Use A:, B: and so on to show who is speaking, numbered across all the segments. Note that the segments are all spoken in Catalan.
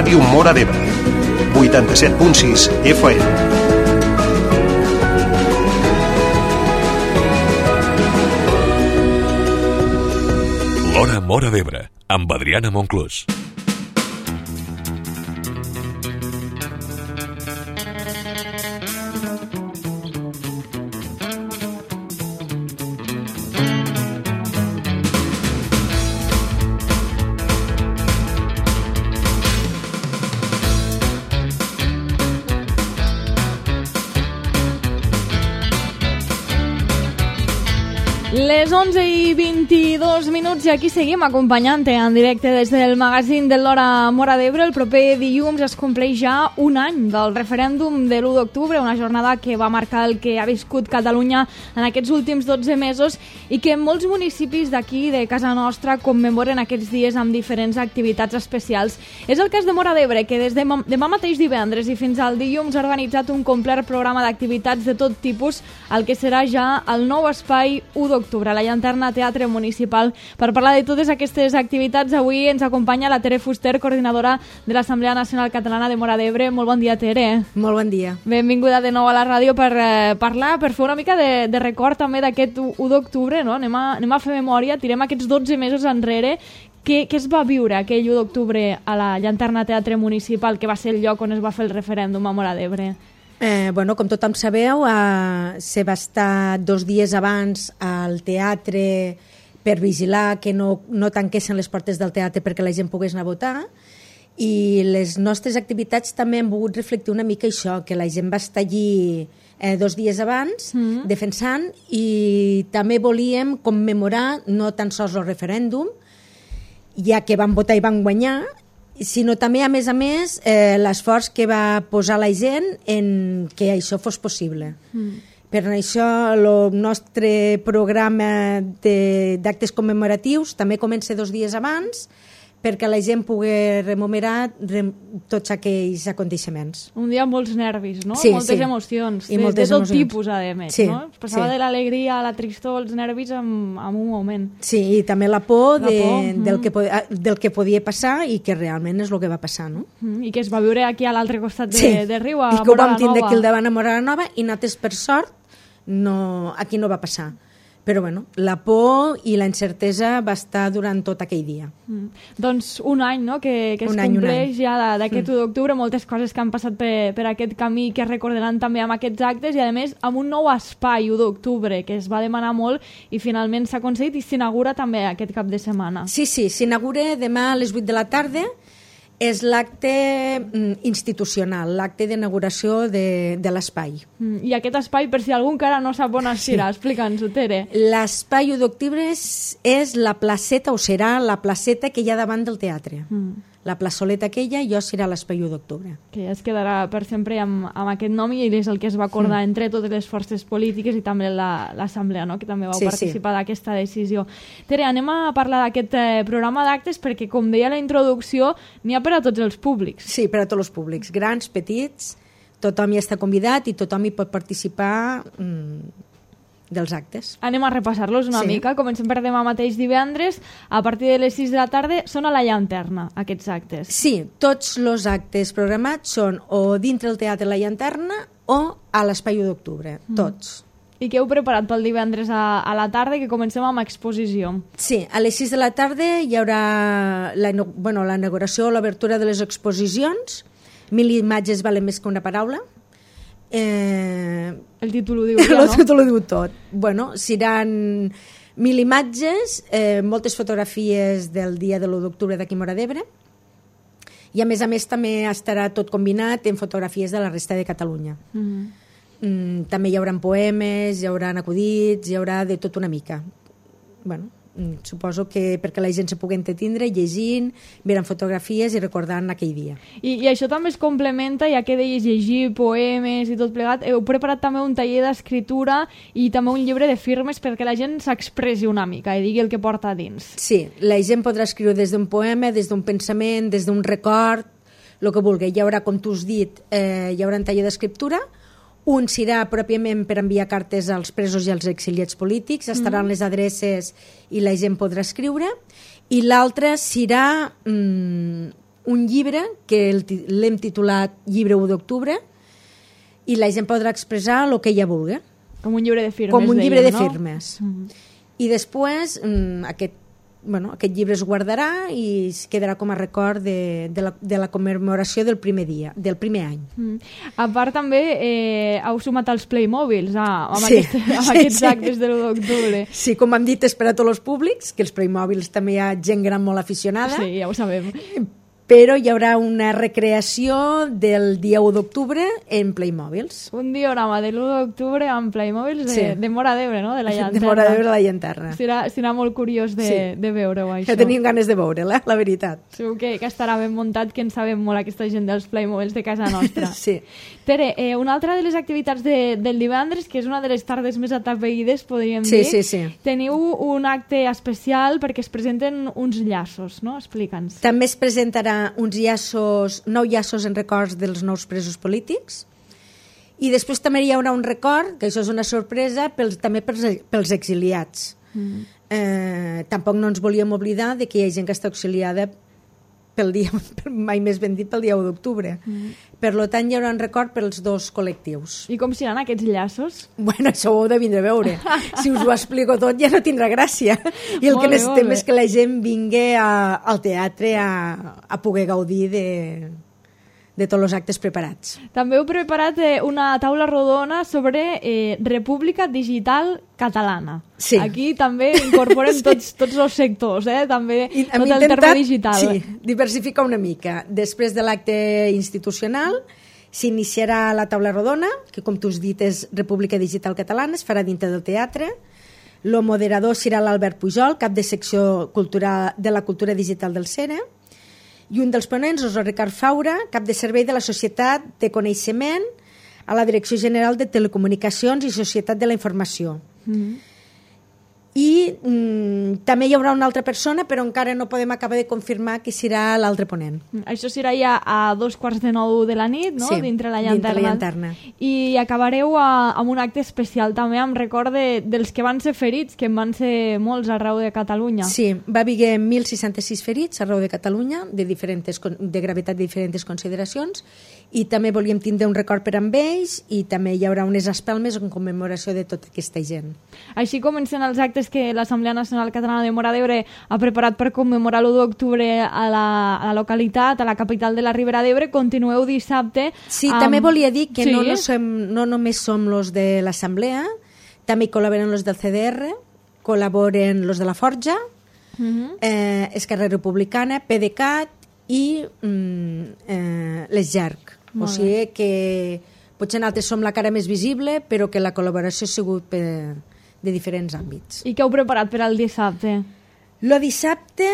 A: Ràdio Móra d'Ebre, 87.6 FM.
B: L'Hora Móra d'Ebre, amb Adriana Monclús.
C: Les 11:22 i aquí seguim acompanyant-te en directe des del magazín de l'Hora Móra d'Ebre. El proper dilluns es compleix ja un any del referèndum de l'1 d'octubre, una jornada que va marcar el que ha viscut Catalunya en aquests últims 12 mesos i que molts municipis d'aquí, de casa nostra, commemoren aquests dies amb diferents activitats especials. És el cas de Móra d'Ebre, que des de demà mateix divendres i fins al dilluns ha organitzat un complet programa d'activitats de tot tipus, el que serà ja el nou espai 1 d'octubre, la Llanterna Teatre Municipal. Per parlar de totes aquestes activitats, avui ens acompanya la Tere Fuster, coordinadora de l'Assemblea Nacional Catalana de Móra d'Ebre. Molt bon dia, Tere.
D: Molt bon dia.
C: Benvinguda de nou a la ràdio per parlar, per fer una mica de record també d'aquest 1 d'octubre, no? Anem a fer memòria, tirem aquests 12 mesos enrere. Què es va viure aquell 1 d'octubre a la Llanterna Teatre Municipal, que va ser el lloc on es va fer el referèndum a Móra d'Ebre?
D: Com tothom sabeu, se va estar 2 dies abans al teatre per vigilar que no tanquessin les portes del teatre perquè la gent pogués anar a votar, i les nostres activitats també han volgut reflectir una mica això, que la gent va estar allí 2 dies abans defensant, i també volíem commemorar no tan sols el referèndum, ja que van votar i van guanyar, sinó també, a més, l'esforç que va posar la gent en que això fos possible. Per això el nostre programa d'actes commemoratius també comença 2 dies abans, perquè la gent pugui rememorar tots aquells aconteixements.
C: Un dia amb molts nervis, no?
D: Sí,
C: moltes emocions, de tot tipus, a més.
D: Sí,
C: no? Passava de l'alegria a la tristor, els nervis en un moment.
D: Sí, i també la por del que podia passar i que realment és el que va passar, no?
C: I que es va viure aquí a l'altre costat de riu, a Móra la Nova.
D: I que ho vam tindre aquí al davant a Móra la Nova, i nosaltres, per sort, aquí no va passar. Però la por i la incertesa va estar durant tot aquell dia.
C: Doncs un any, no?, que es compleix ja d'aquest 1 d'octubre, moltes coses que han passat per aquest camí que es recordaran també amb aquests actes, i a més amb un nou espai 1 d'octubre que es va demanar molt i finalment s'ha aconseguit, i s'inaugura també aquest cap de setmana.
D: Sí, s'inaugura demà a les 8 de la tarda. És l'acte institucional, l'acte d'inauguració de l'espai.
C: I aquest espai, per si algú encara no sap on aspira, explica'ns-ho, Tere.
D: L'espai 1 d'octubre és la placeta, o serà la placeta que hi ha davant del teatre. La plaçoleta aquella, serà l'espai 1 d'octubre.
C: Que es quedarà per sempre amb aquest nom, i és el que es va acordar entre totes les forces polítiques i també l'Assemblea, no?, que també vau participar d'aquesta decisió. Tere, anem a parlar d'aquest programa d'actes perquè, com deia la introducció, n'hi ha per a tots els públics.
D: Sí, per a tots els públics, grans, petits, tothom hi està convidat i tothom hi pot participar dels actes.
C: Anem a repassar-los una mica. Comencem per demà mateix divendres. A partir de les 6 de la tarda són a la Llanterna, aquests actes.
D: Sí, tots els actes programats són o dintre el Teatre La Llanterna o a l'Espai 1 d'octubre, tots.
C: I què heu preparat pel divendres a la tarda, que comencem amb exposició?
D: Sí, a les 6 de la tarda hi haurà la inauguració o l'obertura de les exposicions. 1000 imatges valen més que una paraula.
C: El títol ho diu ja, no?
D: El títol ho diu tot. Seran 1000 imatges, moltes fotografies del dia de l'1 d'octubre d'aquí a Móra d'Ebre, i a més també estarà tot combinat en fotografies de la resta de Catalunya. També hi haurà poemes, hi haurà acudits, hi haurà de tot una mica. Suposo que perquè la gent se pugui entretindre llegint, veient fotografies i recordant aquell dia.
C: I això també es complementa, ja que deies llegir poemes i tot plegat. Heu preparat també un taller d'escriptura i també un llibre de firmes perquè la gent s'expressi una mica i digui el que porta a dins.
D: Sí, la gent podrà escriure des d'un poema, des d'un pensament, des d'un record, el que vulgui. Hi haurà, com tu has dit, hi haurà un taller d'escriptura. Un serà pròpiament per enviar cartes als presos i als exiliats polítics, estaran les adreces i la gent podrà escriure, i l'altre serà un llibre que l'hem titulat Llibre 1 d'octubre i la gent podrà expressar el que ella vulgui.
C: Com un llibre de firmes,
D: Com un llibre de
C: no?
D: firmes. I després aquest llibre es guardarà i es quedarà com a record de la commemoració del primer dia, del primer any.
C: A part també heu sumat els Playmobils amb
D: Sí,
C: aquests
D: sí.
C: actes de l'1 d'octubre.
D: Sí, com hem dit, és per a tots els públics, que els Playmobils també hi ha gent gran molt aficionada,
C: Sí, ja ho sabem.
D: però hi haurà una recreació del dia 1 d'octubre en Playmobils.
C: Un diorama de l'1 d'octubre amb Playmobils
D: Sí.
C: de Móra d'Ebre, no? De la Llanterna.
D: De Móra d'Ebre a la Llanterna.
C: Serà molt curiós de veure-ho, això.
D: Ja tenim ganes de veure-la, la veritat.
C: Segur que estarà ben muntat, que en sabem molt aquesta gent dels Playmobils de casa nostra.
D: Sí.
C: Tere, una altra de les activitats del divendres, que és una de les tardes més atapeïdes, podríem
D: Sí,
C: dir,
D: sí.
C: teniu un acte especial perquè es presenten uns llaços, no? Explica'ns.
D: També es presentarà uns llaços, 9 llaços en records dels nous presos polítics i després també hi haurà un record, que això és una sorpresa, també pels exiliats. Tampoc no ens volíem oblidar de que hi ha gent que està exiliada mai més ben dit pel dia 1 d'octubre. Per tant, hi haurà un record pels dos col·lectius.
C: I com seran aquests llaços?
D: Bueno, això ho heu de vindre a veure. Si us ho explico tot ja no tindrà gràcia. I el que necessitem és que la gent vingui al teatre a poder gaudir de tots els actes preparats.
C: També heu preparat una taula rodona sobre República Digital Catalana.
D: Sí.
C: Aquí també incorporem tots els sectors, també tot el terme digital.
D: Sí, diversificar una mica. Després de l'acte institucional s'iniciarà la taula rodona, que com tu has dit és República Digital Catalana, es farà dintre del teatre. El moderador serà l'Albert Pujol, cap de secció de la cultura digital del CERE, i un dels ponents és el Ricard Faura, cap de servei de la Societat de Coneixement a la Direcció General de Telecomunicacions i Societat de la Informació. I també hi haurà una altra persona, però encara no podem acabar de confirmar qui serà l'altre ponent.
C: Això serà ja a 8:45 de la nit, no?
D: Sí,
C: dintre la
D: dintre la
C: llanterna.
D: llanterna.
C: I acabareu amb un acte especial també amb record dels que van ser ferits, que en van ser molts arreu de Catalunya.
D: Sí, va haver 1.066 ferits arreu de Catalunya, de gravetat de diferents consideracions, i també volíem tindre un record per amb ells, i també hi haurà unes espelmes en commemoració de tota aquesta gent.
C: Així comencen els actes que l'Assemblea Nacional Catalana de Móra d'Ebre ha preparat per commemorar l'1 d'octubre a la localitat, a la capital de la Ribera d'Ebre. Continueu dissabte.
D: Sí, també volia dir que no només som los de l'Assemblea, també hi col·laboren los del CDR, col·laboren los de la Forja, Esquerra Republicana, PDeCAT i les GERC. O sigui que potser nosaltres som la cara més visible, però que la col·laboració ha sigut de diferents àmbits.
C: I què heu preparat per al dissabte?
D: El dissabte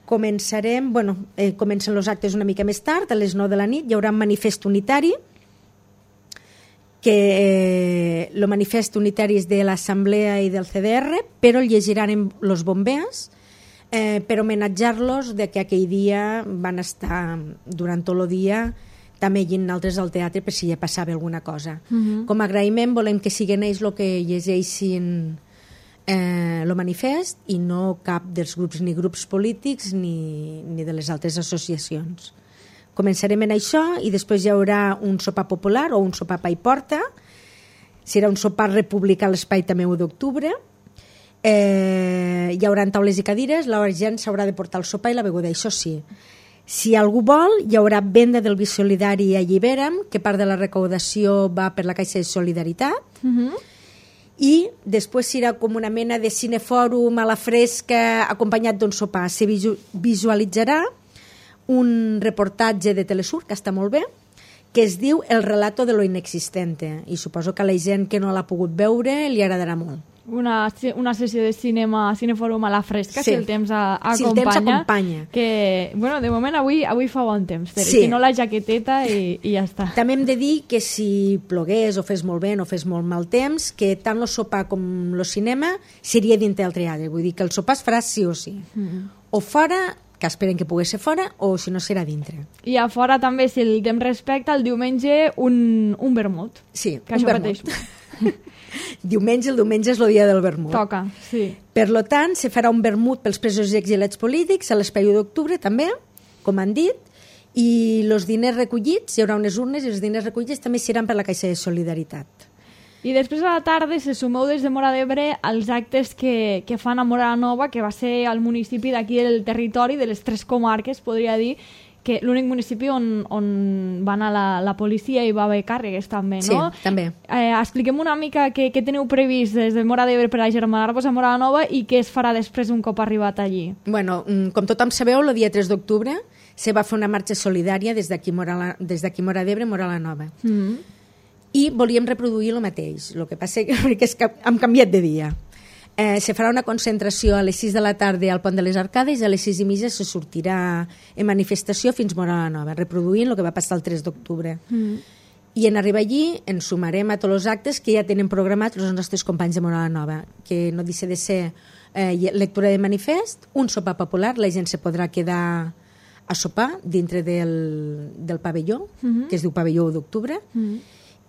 D: comencen els actes una mica més tard, a les 9 de la nit. Hi haurà un manifest unitari, que el manifest unitari és de l'Assemblea i del CDR, però el llegiran els bombers per homenatjar-los de que aquell dia van estar durant tot el dia també llegint altres al teatre per si ja passava alguna cosa. Com a agraïment volem que siguin ells el que llegeixin el manifest i no cap dels grups, ni grups polítics ni de les altres associacions. Començarem en això i després hi haurà un sopar popular o un sopar pa i porta. Serà un sopar republicà a l'espai també 1 d'octubre. Hi haurà taules i cadires, la gent s'haurà de portar el sopar i la beguda, això sí. Si algú vol, hi haurà venda del vi solidari a Allibera'm, que part de la recaudació va per la Caixa de Solidaritat, i després serà com una mena de cinefòrum a la fresca acompanyat d'un sopar. Se visualitzarà un reportatge de Telesur, que està molt bé, que es diu El relato de lo inexistente, i suposo que a la gent que no l'ha pogut veure li agradarà molt.
C: Una sessió de cinefòrum a la fresca,
D: sí.
C: Si el temps acompanya.
D: Si el temps acompanya.
C: Que, bueno, de moment avui fa bon temps, Tere.
D: Sí.
C: Si no la jaqueteta i ja està.
D: També hem de dir que si plogués o fes molt vent o fes molt mal temps, que tant el sopar com el cinema seria dintre del teatre. Vull dir que el sopar es farà sí o sí. O fora, que esperen que pogués ser fora, o si no serà dintre.
C: I a fora també, si el temps respecta, el diumenge un vermut.
D: Sí,
C: que un vermut.
D: El diumenge és el dia del vermut.
C: Toca, sí.
D: Per tant, se farà un vermut pels presos i exiliats polítics a l'espai 1 d'octubre també, com han dit, i els diners recollits, hi haurà unes urnes, i els diners recollits també seran per la Caixa de Solidaritat.
C: I després a la tarda se sumeu des de Móra d'Ebre als actes que fan a Móra la Nova, que va ser el municipi d'aquí del territori, de les 3 comarques, podria dir, que l'únic municipi on va anar la policia i va haver càrregues també, no?
D: Sí, també.
C: Expliquem una mica què teniu previst des de Móra d'Ebre per agermanar-vos a Móra la Nova i què es farà després un cop arribat allí.
D: Bueno, com tothom sabeu, el dia 3 d'octubre se va fer una marxa solidària des d'aquí Móra d'Ebre, Móra la Nova. I volíem reproduir el mateix. El que passa és que hem canviat de dia. Se farà una concentració a les 6 de la tarda al Pont de les Arcades i a les 6:30 se sortirà en manifestació fins Móra la Nova, reproduint el que va passar el 3 d'octubre. I en arribar allí ens sumarem a tots els actes que ja tenen programats els nostres companys de Móra la Nova, que no deixa de ser lectura de manifest, un sopar popular, la gent se podrà quedar a sopar dintre del pavelló, que es diu Pavelló 1 d'octubre,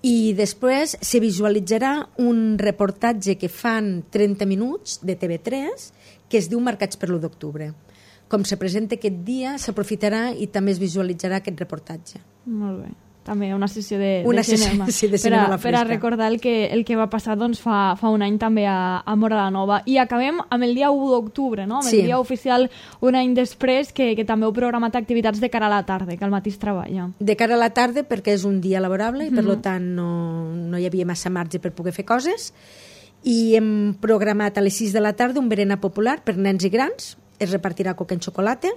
D: i després se visualitzarà un reportatge que fan 30 minuts de TV3 que es diu Marcats per l'1 d'octubre. Com se presenta aquest dia, s'aprofitarà i també es visualitzarà aquest reportatge.
C: Molt bé. També una sessió de
D: cinema. Sí, de cinema a la fresca.
C: Per a recordar el que va passar doncs, fa un any també a Móra la Nova. I acabem amb el dia 1 d'octubre, no? Amb el dia oficial un any després, que també heu programat activitats de cara a la tarda, que al matí es treballa.
D: De cara a la tarda perquè és un dia laborable i per tant no hi havia massa marge per poder fer coses, i hem programat a les 6 de la tarda un berenar popular per nens i grans, es repartirà coca en xocolata,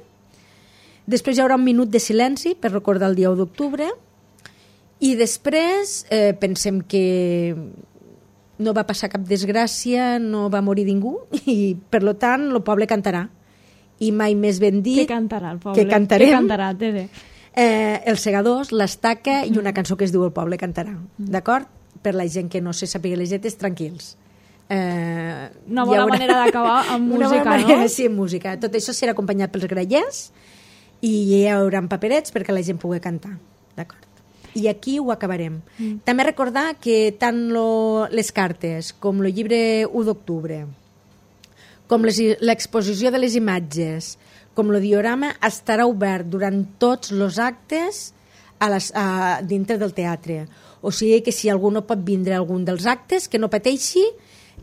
D: després hi haurà un minut de silenci per recordar el dia 1 d'octubre, i després pensem que no va passar cap desgràcia, no va morir ningú, i per tant el poble cantarà. I mai més ben dit...
C: Què cantarà el poble?
D: Que cantarem.
C: Què cantarà, Tere?
D: Els segadors, l'estaca i una cançó que es diu El poble cantarà. D'acord? Per la gent que no se sàpiga les lletres, tranquils.
C: Una bona manera d'acabar amb música, no?
D: Sí, amb música. Tot això serà acompanyat pels grallers i hi haurà paperets perquè la gent pugui cantar. D'acord? I aquí ho acabarem. També recordar que tant les cartes com el llibre 1 d'octubre, com l'exposició de les imatges, com el diorama, estarà obert durant tots els actes dintre del teatre. O sigui que si algú no pot vindre a algun dels actes, que no pateixi,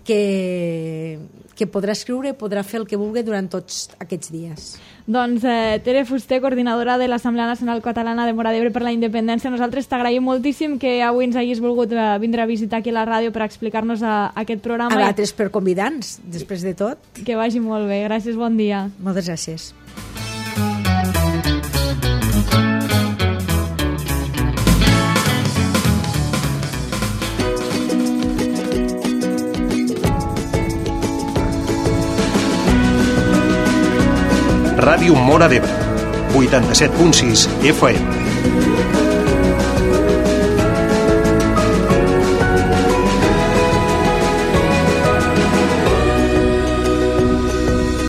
D: que podrà escriure, podrà fer el que vulgui durant tots aquests dies.
C: Doncs Tere Fuster, coordinadora de l'Assemblea Nacional Catalana de Móra d'Ebre per la Independència, nosaltres t'agraïm moltíssim que avui ens hagis volgut vindre a visitar aquí a la ràdio per explicar-nos aquest programa.
D: A l'altres per convidar-nos, després de tot.
C: Que vagi molt bé. Gràcies, bon dia.
D: Moltes gràcies.
A: Ràdio Móra d'Ebre, 87.6 FM.